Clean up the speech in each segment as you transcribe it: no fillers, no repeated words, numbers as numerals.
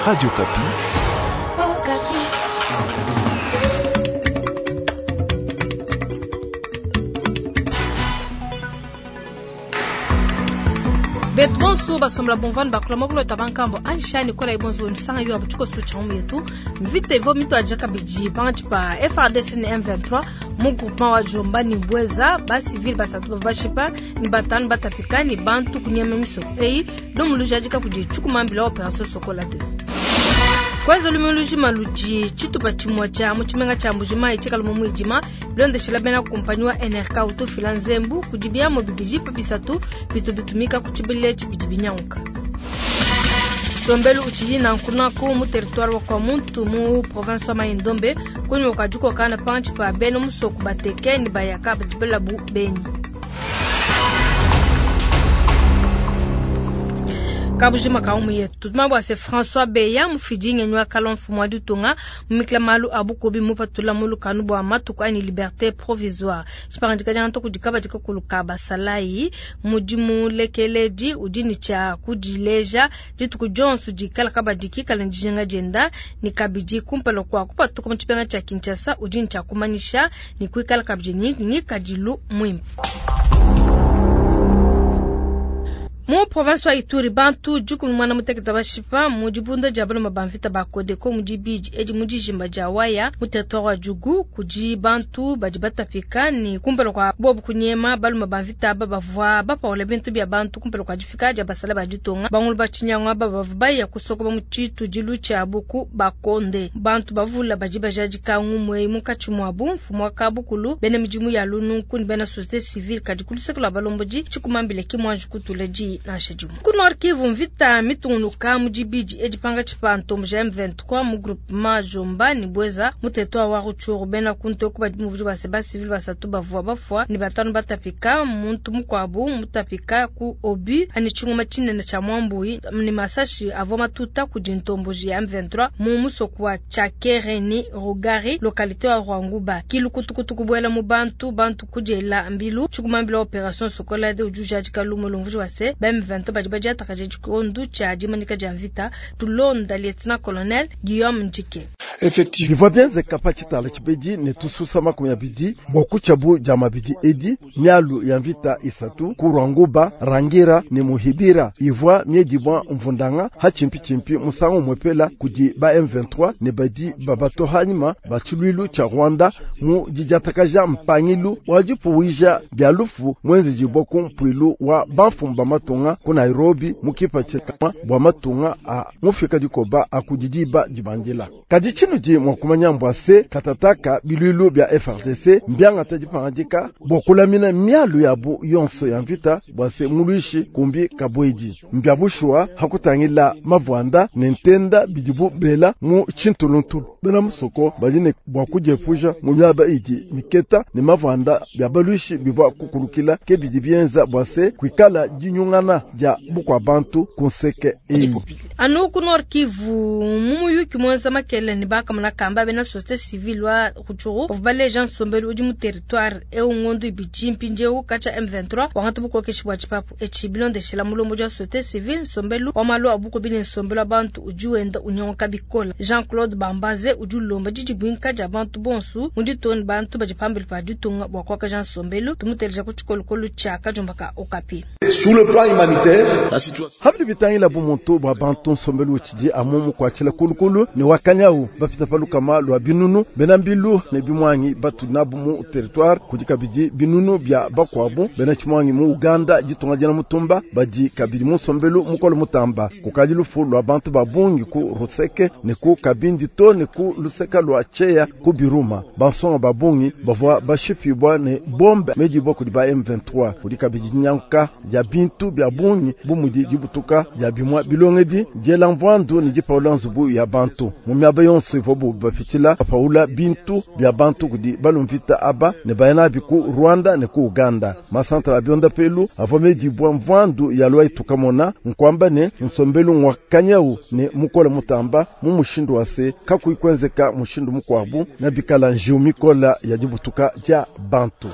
Radio Okapi. Betu bonso basombola bumvua ne bakula muakulu bankambo anshani kola ibonso nsanga yo abuchiko sucha mu yetu mvita ivo mituadija kabidi pankatshi pa FARDC ne M23 mu groupement wa Jomba ni Bweza ba civil basatu bavua bashipa ni batanu batapika ni bantu kunyema misoko eyi lumu lujadika kudi tshikumambila operation Sokola 2. Kwanza lumu lujima ludi tshitupa tshimue tshia mu tshimenga tshia Mbujimayi tshikala mu muidima bilondeshela bena kumpanyi wa NRK utufila nzembu kudi biamu bibidi pa bisatu bitu bitumika ku tshibili etshi bidi binyanguka. Nsombelu utshidi nankunaku mu territoire wa Kwamuntu mu province wa Mai-Ndombe kunyima kua dikokana pankatshi pa bena musoko bateke ne bayaka badi belabu benyi. Kabujima ka umu yetu tutuma bua se François Beya mufidi ngenyi wa kala mfumu wa ditunga mumikila malu a bukubi mupatula mu lukanu bua matuku anyi liberté provisoire. Tshipangadika dia ntoku dikaba dikakulu ka basalayi mudimu lekeledi udi ne tshia kudileja dituku dionso dikala kabadi kikala dijinga dienda ni kabidi kumpala kua kupatuka mu tshipenga tshia Kinshasa udi ne tshia kumanyisha ni kuikala kabidi ni ngikadilu muimpe. Mu province wa Ituri bantu dikumi mwana mutekete bashipa mu dibunda dia baluma ba mvita ba Codeco mu dibidi edi mu dijimba dia Waya mu territoire wa Djugu kudi bantu badi batapika ni kumpala kwa bobu kunyema baluma ba mvita aba bavua bapaula bintu bia bantu kumpala kwa difika dia basala ba ditunga bangulu ba tshinyangwa aba bavua baya kusokoba mu tshitudilu tshiabu ku Bakonde. Bantu bavula badi bajadika ngumue munkatshi muabu mfumu wa kabukulu bena midimu ya lununku ni bena société civile kadi ku luseke lua balombodi tshikumambile ki muanji kutula di nansha dimue. Ku Nord Kivu mvita mitungunuka mu dibidi edi pankatshi pa ntombo ja M23 mu groupement Jomba ni Bweza mu territoire wa Rutshuru bena kuntoku badi muvudi ba seba civil basatu bavua bafua ni batanu batapika muntu mukuabu mutapika ku obi ani tshingoma tshinene tshia mwambui ni masashi avua matuta kudi ntomboji ya M23 mu musoko wa Tshakere ni Rugari localité wa Rwanguba kilukutukutu kubuela mu bantu bantu kudiela mbilu tshikumambila operation Sokola de ujujadika lumu lumvudi wa se ba M23 badi badiatakaja tshikondu tshia dimanika dia mvita tulonda lieutenant colonel Guillaume Ndjike. Effectivement. Bivua bienzeka pa tshitala tshibedi ne tususa 20 bua kutshiabu dia mabidi edi mialu ya mvita isatu ku Rwanguba, Rangira ne Muhibira ivua miedibua mvundanga ha tshimpi musangu mwepela kudi ba M23 ne badi babato hanyima ba tshiluilu tshia Rwanda mu didiatakaja mpangilu wa dipuwija bia lufu mwenzejibua ku mpuilu wa bamfumu ba matunga ku Nairobi mu kipatshila bua matunga a mufika dikoba akudidiba dibandila. Kadi tshinudi mua kumanya mbua se katataka biluilu bia FARDC mbiangata dipangadika bua kulamina mialu yabu yonso ya mvita bua se muluishi kumbi kabuedi. Mbia bushuwa hakutangila mavuanda ne ntenda bidibu bela mu tshintuluntulu. Bena musoko badi ne bua kudiepuja mu miaba idi miketa ne mavuanda bia baluishi bivua kukulukila ke bidi bienza bua se kuikala dinyungana dia bukua bantu ku nseke eyi. Anu ku Nord Kivu mu muyuki muenza makele ne bakamona kamba bena société civile wa Rutshuru bavua baleja nsombelu udi mu territoire eu ngondu ibidi mpindieu katshia M23 wangata bukokeshi bua tshipapu etshi bilondeshela mulombodi wa société civile nsombelu wa malu a bukubi ne nsombelu wa bantu udi wenda unyanguka bikole. Jean-Claude Bambaze udi ulomba didibuinka dia bantu bonsu mu ditunga ne bantu badi pambelu pa ditunga bua kuakaja nsombelu tumuteleja ku tshikolokolo tshia Kadiomba ka Okapi. Sur le plan humanitaire, la situation Habidi bitangila bumuntu bua bantu nsombelu utshidi amu mukuatshila kulukulu ne wakanyau bapita pa lukama lua binunu bena mbilu ne bimwangi batu nabu mu territoire kudi kabidi binunu bia bakuabu bena tshimwangi mu Uganda ditunga diena mutumba badi kabidi mu nsombelu mukolo mutamba kukadi lufu lua bantu ba bungi ku Ruseke ne ku Kabindi to ne ku luseka lua Tcheya ku Biruma bansonga ba bungi bavua bashipibua ne bombe medibua kudi ba M23 kudi kabidi dinyanguka dia bintu bia bungi bu mudi dibutuka dia bimua bilongedi diela mvuandu ne dipaula nzubu ya bantu mu miaba yonso ivuabu bapitshila bapaula bintu bia bantu kudi balumvita aba ne baya nabi ku Rwanda ne ku Uganda. Masantra a biondapelu avua medibua mvuandu ya lwa itukamona nkwamba ne nsombelu ngwa kanyau ne mukola mutamba mu mushindu wa se kakuyi kuenzeka mushindu mukuabu na bikala njiu mikola ya dibutuka dia bantu.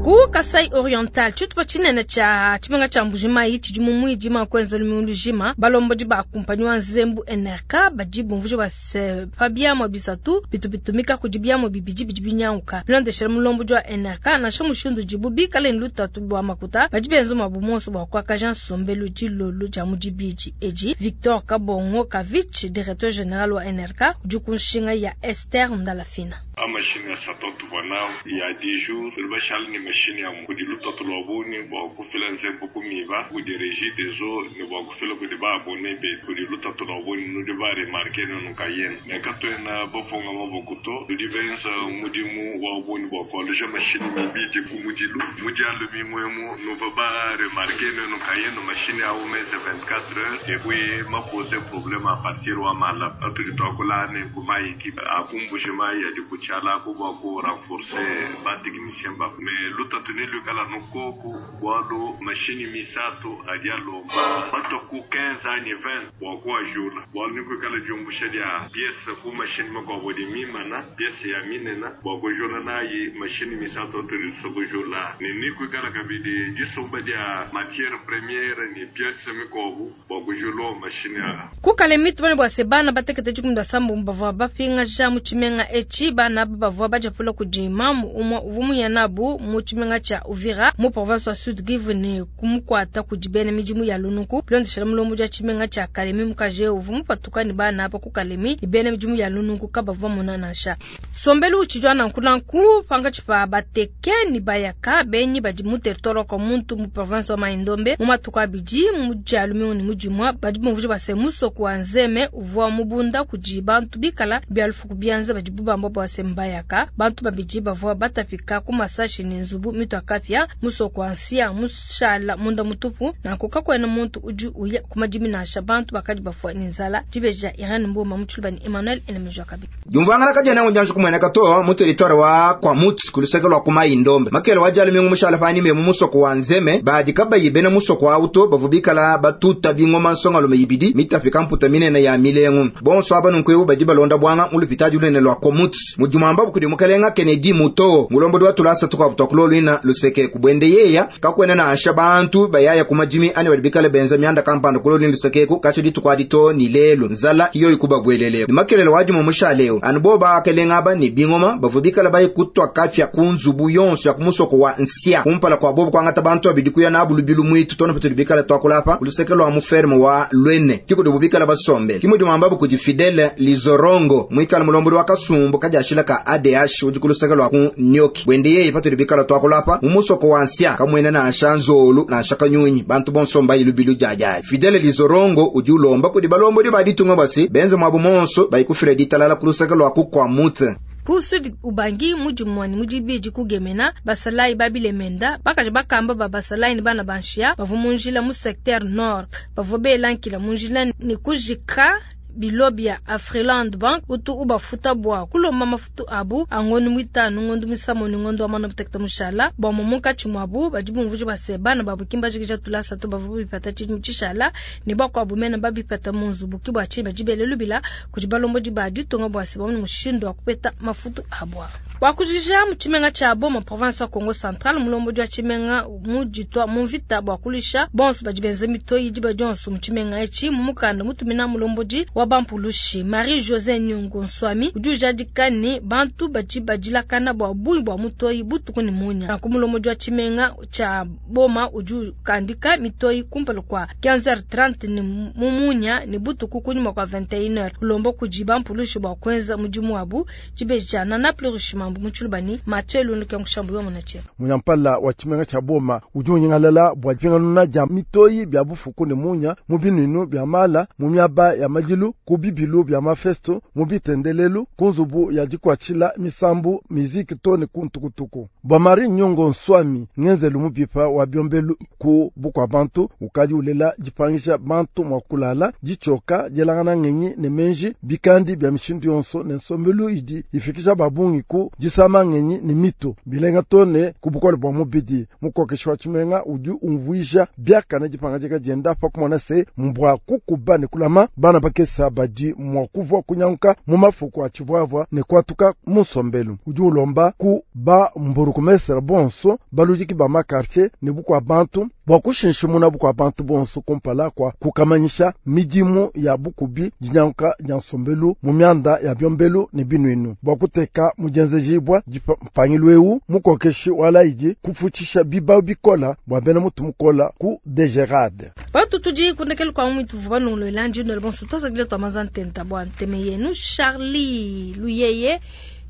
Ku Ku Kasai Oriental, tshitupa tshinene tshia tshimenga tshia Mbuji-Mayi tshidi mu muidima kuenza lumingu lujima. Balombodi ba kumpanyi wa nzembu NRK badi bumvuija bua se pa biamua bisatu bitu bitumika kudi biamua bibidi bidi binyanguka. Bilondeshile mulombodi wa NRK, nansha mushindu udibu bikale ne lutatu lua makuta, badi benza muabu muonso bua kuakaja nsombelu dilolo dia mu dibidi edi. Victor Kabongo Kavitch, directeur general wa NRK, udi ku nshinga ya Esther Ndalafina. A Mashinyi asatu atuvua nawu ya 10 jours, tudi bashale ne mashinyi amue. Kudi lutatu lua bungi bua kufila nzembu ku miba kudi Regideso ne bua kufila kudi ba abonnes betu. Kudi lutatu lua bungi, nudi ba remarquer nuenu nkayenu ne katuena bapunga maboko to. Tudi benza mudimu wa bungi bua kualuja mashinyi mibidi ku mudilu. Mu Dia lumingu emu nuvua ba remarquer nuenu nkayenu mashinyi au menze 24 heures et puis ma poser probleme a partir wa mala patudi tuakula ne ku mayi. A ku Mbuji-Mayi adi ku tshiala aku bua ku renforcer ba techniciens babu. Mais lutatu neluikala anu koku bualu mashinyi misatu adi alomba batua ku 15 anyi 20 bua kuajula bualu nekuikala diumbusha dia piece ku mashinyi makuabu adi mimana, piece ya minena bua kujula nayi mashinyi misatu atudi tusua kujula ne nekuikala kabidi disumba dia matiere premiere ne piece mikuabu. bua kujulua mashinyi aa. Ku Kalemi, tumanye bua se bana batekete 17 bavua bapingaja mu tshimenga etshi. Bana aba bavua badiapula kudi mamu umue uvua muya nabu mu tshimenga tshia Uvira mu province wa Sud Kivu ne kumukuata kudi bena midimu ya lunuku. Bilondeshile mulombodi wa tshimenga tshia Kalemi, mukaji eu uvua mupatuka ne bana aba ku Kalemi ne bena midimu ya lunuku kabavua bamona nansha. Nsombelu utshidi wa nanku nanku pankatshi pa Bateke ne Bayaka benyi badi mu territoire wa Kwamuntu mu province wa Mai-Ndombe mu matuku abidi mu dia lumingu ne mu dimua. Badi bumvuija bua se musoko wa Nzeme uvua mubunda kudi bantu bikala bia lufu ku bianza badibu bamba bua se mbayaka. Bantu babidi bavua batapika ku masashi ne nzubu mitua kapia. Musoko wa Nsia mushala munda mutupu, nanku kakuena muntu udi uya ku madimi nansha. Bantu bakadi bafua ne nzala. Dibeji dia Irene Mboma mu Tshiluba ne Emmanuel Enemeja kabidi. Diumvuangana kadiena dianji kumueneka to mu teritware wa Kwamouth ku luseke lua ku Mai-Ndombe. Makele wa Dia lumingu mushala panyima mu musoko wa Nzeme, badi kabayi bena musoko awu to bavua bikala batuta bingoma nsongalume ibidi mitapika mputa minene ya milengu. Bonso aba nunku badi balonda buanga mu lupitadi lunene lua Kwamouth. Mudimu ambabu kudi mukalenga Kennedy Muto, mulombodi wa tulasa tukuabu tua kuloluina luseke ku buende yeya kakuena nansha bantu bayaya ku madimi ani badi bikale benza mianda kampanda kuloluina luseke eku katshia dituku adi too ne lelu. Nzala ki yoyi kubabuelele. Ne makelele wa dimue mushale eu, anu bobo bakalenga aba ne bingoma bavua bikale baye kutua kapia ku nzubu yonso ya ku musoko wa Nsia kumpala kua bobo kuangata bantu babidi kuya nabu lubilu muitu too ne patudi bikale tuakula apa ku luseke lua mu ferme wa Luene ki kudibu bikale basombele. Ki mudimu ambabu kudi Fidele Lizorongo muikale mulombodi wa kasumbu kadiashila ka ADH udi ku luseke lua ku Nioki. Buende yeye patudi bikale tuakula apa mu musoko wa Nsia kamuena nansha nzolu nansha kanyunyi, bantu bonso mbaye lubilu diadiadi. Fidele Lizorongo udi ulomba kudi balombodi ba ditunga bua se benze muabu muonso baye kufila ditalala ku luseke lua ku Kwamouth. Ku Sud Ubangi, mu dimue ne mu dibidi ku Gemena, basalayi ba bilemenda, bakaji bakamba ba basalayi ne bana ba nshiya bavua mu njila mu secteur nord bavua bela nkila mu njila ne kujika bilo bia Afriland Bank utu ubafuta bua kulomba mafutu abu a ngondo muitanu, ngondo muisambombo ne ngondo wa muanda mutekete mushala. Bamue munkatshi muabu badi bumvuija bua se bana babu ki mbajikija tulasa to, bavua bipata tshidimu tshishala ne bakuabu mene babipata mu nzubu. Ke bua tshinyi badi bele lubila kudi balombodi ba ditunga bua se bamone mushindu wa kupeta mafutu abu. Bua kujikija, mu tshimenga tshia Boma, province wa Kongo Central, mulombodi wa tshimenga muditua mu mvita bua kuluisha bonso badi benza mitoyi diba dionso mu tshimenga etshi. Mu mukanda mutumina mulombodi wa bampulushi Marie Jose Nyungu Nswami udi ujadika ne bantu badi badilakana bua bungi bua mutoyi butuku ne munya. Nanku mulombodi wa tshimenga tshia Boma udi ukandika mitoyi kumpala kua 15h30 ne mu munya ne butuku kunyima kua 21h, ulomba kudi bampulushi bua kuenza mudimu wabu. Dibeji dia Nana Plurish Mambu mu Tshiluba ne Mathieu Lundu Kiankushambu yomona tshia. Munyampala wa tshimenga tshia Boma udi unyingalala bua dipinganuna dia mitoyi bia bufuku ne munya mu binuinu bia mala, mu miaba ya madilu, ku bibilu bia mafesto, mu bitendelelu, ku nzubu ya dikuatshila misambu, miziki to ne ku ntukutuku. Bua Marie Nyongo Nswami, ngenzelu mubipa wa biombelu ku bukua bantu ukadi ulela dipangisha bantu mua kulala, ditshioka, dielangana ngenyi ne menji, bikandi bia mishindu yonso ne nsombelu idi ifikisha babungi ku disama ngenyi ne mitu bilenga to ne ku bukole bua mubidi. Mukokeshi wa tshimenga udi umvuija biakane dipangadika dienda pa kumona se mbua kukuba ne kulama bana bakese. lukasa badi mua kuvua kunyanguka mu mafuku a tshivuavua ne kuatuka mu nsombelu. Udi ulomba ku ba mburukumestre bonso baludiki ba makartier ne bukua bantu bua kushinshimuna bukua bantu bonso kumpala kua kukamanyisha midimu ya bukubi dinyanguka dia nsombelu mu mianda ya biombelu ne binuinu bua kuteka mudienzejibua mpangilu eu mukokeshi wa laidi kufutshisha bibau bikola bua bena mutu mukola ku DGRAD. Bantu tudi kundekelu kwa mwitu vuba nongolo ndino bonso twasakile twa mazantenta bua nteme yenu Charlie Luyeye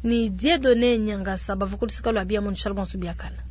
ni Dieudonné Nyangasa bavua ku luseka lua bia mu bonso biakana.